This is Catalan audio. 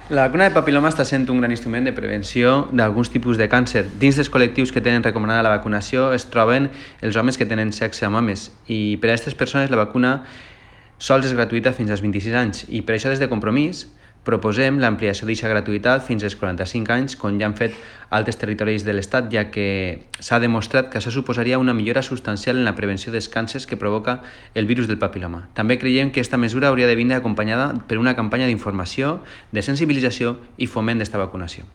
La vacuna de papil·loma està sent un gran instrument de prevenció d'alguns tipus de càncer. Dins dels col·lectius que tenen recomanada la vacunació es troben els homes que tenen sexe amb homes i per a aquestes persones la vacuna sols és gratuïta fins als 26 anys i per això des de Compromís proposem l'ampliació d'aquesta gratuïtat fins als 45 anys, com ja han fet altres territoris de l'Estat, ja que s'ha demostrat que això suposaria una millora substancial en la prevenció dels càncers que provoca el virus del papil·loma. També creiem que aquesta mesura hauria de vindre acompanyada per una campanya d'informació, de sensibilització i foment d'esta vacunació.